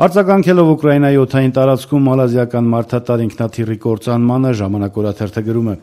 Արձագանքելով Ուկրաինայի օդային տարածքում մալազիական մարդատար ինքնաթիռի կործանմանը ժամանակ օրաթերթը գրում է.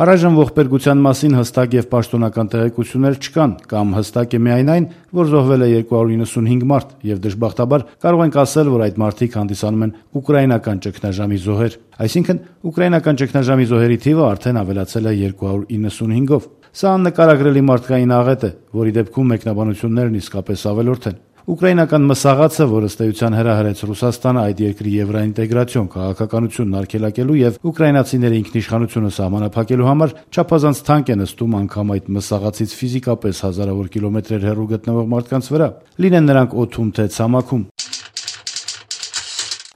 Առայժմ ողբերգության մասին հստակ եւ պաշտոնական տեղեկություններ չկան, կամ հստակ է միայն այն, որ զոհվել է 295 մարդ, եւ դժբախտաբար կարող ենք ասել, որ այդ մարդիկ հանդիսանում են ուկրաինական ճգնաժամի զոհեր։ Այսինքն, ուկրաինական ճգնաժամի զոհերի թիվը արդեն ավելացել է 295-ով։ Սա աննկարագրելի մարդկային աղետ է, որի դեպքում մեկնաբանություններն իսկապես ավելորդ են։ Ուկրաինական մսաղացը, որը ըստ էության հրահրեց Ռուսաստանը այդ երկրի եվրոինտեգրացիոն քաղաքականությունն արգելակելու եւ ուկրաինացիների ինքնիշխանությունը սահմանափակելու համար չափազանց թանկ է նստում անգամ այդ մսաղացից ֆիզիկապես հազարավոր կիլոմետրեր հեռու գտնվող մարդկանց վրա, լինեն նրանք օդում թե ցամաքում։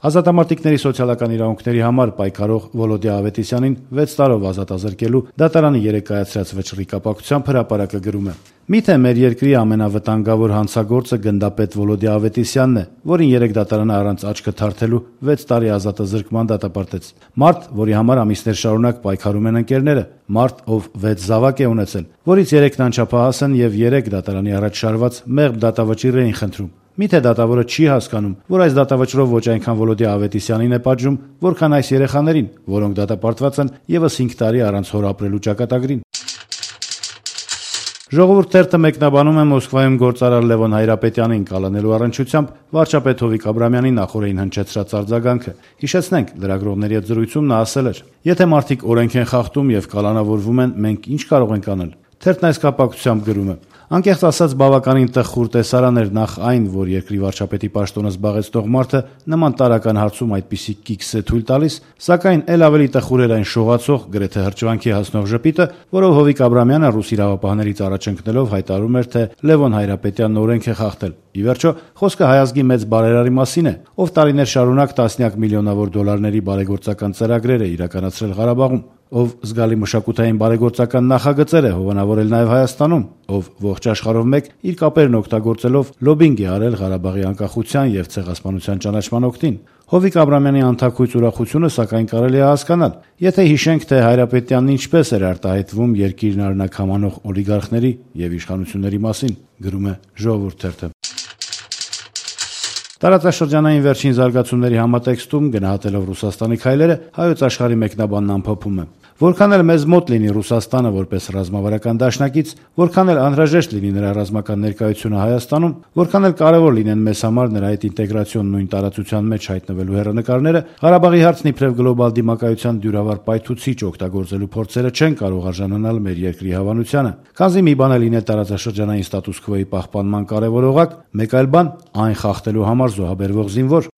Ազատամարտիկների սոցիալական իրավունքների համար պայքարող Վոլոդիա Ավետիսյանին 6 տարով ազատազրկելու դատարանի 3 կայացրած վճռի կապակցությամբ հրապարակը գրում է. Միթե մեր երկրի ամենավտանգավոր հանցագործը գնդապետ Վոլոդիա Ավետիսյանն է, որին 3 դատարանը առանց աչքը թարթելու 6 տարի ազատազրկման դատապարտեց։ Մարդ, որի համար ամիսներ շարունակ պայքարում են ընկերները, մարդ, ով 6 զավակ է ունեցել, որից 3-ն անչափահաս են եւ 3 դատարանի առաջ շարված մեղմ դատավճիռ էին խնդրում։ Միթե դատավորը չի հասկանում, որ այս դատավճռով ոչ այնքան Վոլոդիա Ավետիսյանին է պատժում, որքան այս երեխաներին, որոնք դատապարտված են ևս 5 տարի առանց հոր ապրելու ճակատագրին։ Ժողովուրդ թերթը մեկնաբանում է Մոսկվայում գործարար Լևոն Հայրապետյանին կալանելու առնչությամբ վարչապետ Հովիկ Աբրամյանին նախորդին հնչեցրած արձագանքը։ Հիշեցնենք, լրագրողների հետ զրույցում նա ասել էր. «Եթե մարդիկ օրենք են խախտում եւ կալանավորվում են, մենք ինչ կարող ենք անել»։ Թերթն այս կապակցությամբ գրում է. Անկեղծ ասած բավականին տխուր տեսարան էր նախ այն, որ երկրի վարչապետի պաշտոնը զբաղեցնող մարդը նման տարական հարցում այդպիսի կիքս է թույլ տալիս, սակայն ել ավելի տխուր էր այն շողացող, գրեթե հրճվանքի հասնող ժպիտը, որով Հովիկ Աբրամյանը ռուս իրավապահներից առաջ ընկնելով հայտարարում էր, թե Լևոն Հայրապետյանն օրենք է խախտել։ Ի վերջո, խոսքը հայազգի մեծ բարերարի մասին է, ով տարիներ շարունակ տասնյակ միլիոնավոր դոլարների բարեգործական ծրագրեր է իրականացրել Ղարաբաղում, ով զգալի մշակութային բարեգործական նախագծեր է հովանավորել նաև Հայաստանում, ով ողջ աշխարհով մեկ իր կապերն օգտագործելով լոբինգ է արել Ղարաբաղի անկախության եւ ցեղասպանության ճանաչման օգտին։ Հովիկ Աբրամյանի անթաքույց ուրախությունը սակայն կարելի է հասկանալ, եթե հիշենք, թե Հայրապետյանն ինչպես էր արտահայտվում երկիրն արնակ համանող օլիգարխների եւ իշխանությունների մասին, գրում է Ժողովուրդ թերթը։ Տարածաշրջանային վերջին զարգացումների համատեքստում գնահատելով Ռուսաստանի քայլերը հայոց աշխարհի մեկնաբանն ամփոփում է. Որքան էլ մեզ մոտ լինի Ռուսաստանը որպես ռազմավարական դաշնակից, որքան էլ անհրաժեշտ լինի նրա ռազմական ներկայությունը Հայաստանում, որքան էլ կարևոր լինեն մեզ համար նրա այդ ինտեգրացիոն նույն տարածության մեջ հայտնվելու հեռանկարները, Ղարաբաղի հարցն իբրև գլոբալ դիմակայության դյուրավար պայթուցիչ օգտագործելու փորձերը չեն կարող արժանանալ մեր երկրի հավանությանը։ Քանզի մի բան է լինել տարածաշրջանային ստատուս քվոյի պահպանման կարևոր օղակ, մեկ այլ բան այն խախտելու համար զոհաբերվող զինվոր։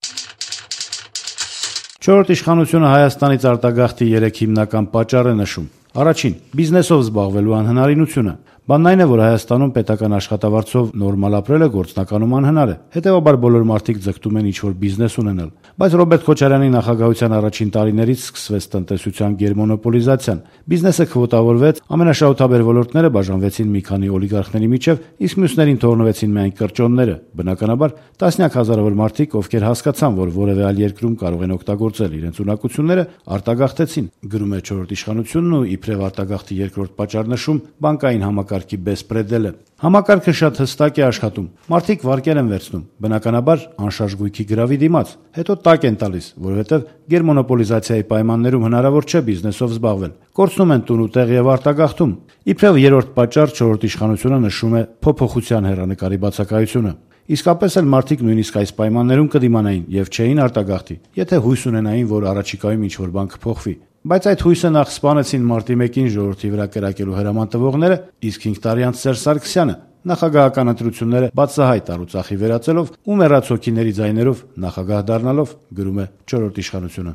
Չորրորդ իշխանությունը Հայաստանից արտագաղթի 3 հիմնական պատճառ է նշում։ Առաջին՝ բիզնեսով զբաղվելու անհնարինությունը։ Բանն այն է, որ Հայաստանում պետական աշխատավարձով նորմալ ապրելը գործնականում անհնար է։ Հետևաբար բոլոր մարդիկ ձգտում են ինչ-որ բիզնես ունենալ։ Բայց Ռոբերտ Քոչարյանի նախագահության առաջին տարիներից սկսվեց տնտեսության գերմոնոպոլիզացիան։ Բիզնեսը քվոտավորվեց, ամենաշահութաբեր ոլորտները բաժանվեցին մի քանի օլիգարխների միջև, իսկ մյուսներին թողնվեցին միայն կրճոնները։ Բնականաբար, տասնյակ հազարավոր մարդիկ, ովքեր հասկացան, որ որևէ այլ երկրում կարող են օգտագործել իրենց ունակությունները, արտագաղթեցին, գրում է չորրորդ իշխանությունն ու իբրև արտագաղթի երկրորդ պատճառ նշում բանկային համակարգի բեսպրեդելը։ Համակարգը շատ հստակ է աշխատում։ Մարդիկ վարկեր են վերցնում, բնականաբար անշարժ գույքի գրավի դիմաց, հետո տակ են տալիս, որովհետև գերմոնոպոլիզացիայի պայմաններում հնարավոր չէ բիզնեսով զբաղվել։ Կորցնում են տուն ու տեղ եւ արտագաղթում։ Իբրև երրորդ պատճառ չորրորդ իշխանությունը նշում է փոփոխության հեռանկարի բացակայությունը։ Իսկապես էլ մարդիկ նույնիսկ այս պայմաններում կդիմանային եւ չէին արտագաղթի, եթե հույս ունենային, որ առաջիկայում ինչ-որ բան կփոխվի։ Բայց այդ հույսը նախ սպանեցին մարտի 1-ին ժողովրդի վրա կրակելու հրաման տվողները, իսկ 5 տարի անց Սերժ Սարգսյանը նախագահական ընտրությունները բացահայտ առուծախի վերածելով ու մեռած հոգիների ձայներով նախագահ դառնալով, գրում է չորրորդ իշխանությունը։